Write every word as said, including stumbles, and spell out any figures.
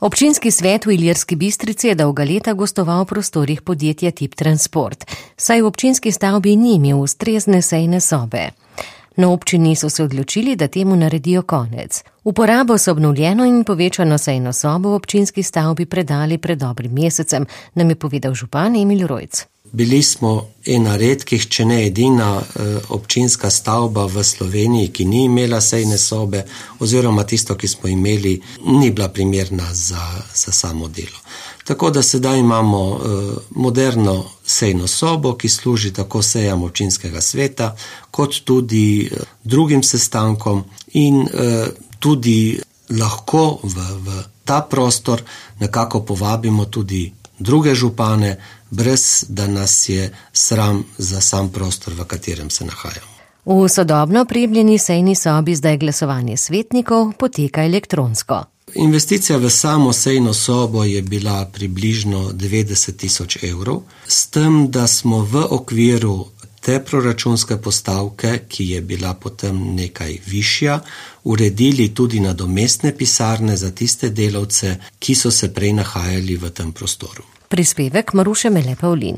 Občinski svet v Ilirski Bistrici je dolga leta gostoval v prostorih podjetja Tip Transport, saj v občinski stavbi ni imel ustrezne sejne sobe. Na občini so se odločili, da temu naredijo konec. Uporabo so obnovljeno in povečano sejno sobo v občinski stavbi predali pred dobrim mesecem, nam je povedal župan Emil Rojc. Bili smo ena redkih, če ne edina občinska stavba v Sloveniji, ki ni imela sejne sobe, oziroma tisto, ki smo imeli, ni bila primerna za, za samo delo. Tako da sedaj imamo moderno sejno sobo, ki služi tako sejam občinskega sveta, kot tudi drugim sestankom in tudi lahko v, v ta prostor nekako povabimo tudi druge župane, brez da nas je sram za sam prostor, v katerem se nahajamo. V sodobno opremljeni sejni sobi zdaj glasovanje svetnikov poteka elektronsko. Investicija v samo sejno sobo je bila približno devetdeset tisoč evrov, s tem, da smo v okviru te proračunske postavke, ki je bila potem nekaj višja, uredili tudi nadomestne pisarne za tiste delavce, ki so se prej nahajali v tem prostoru. Prispevek Maruše Mele Pavlin.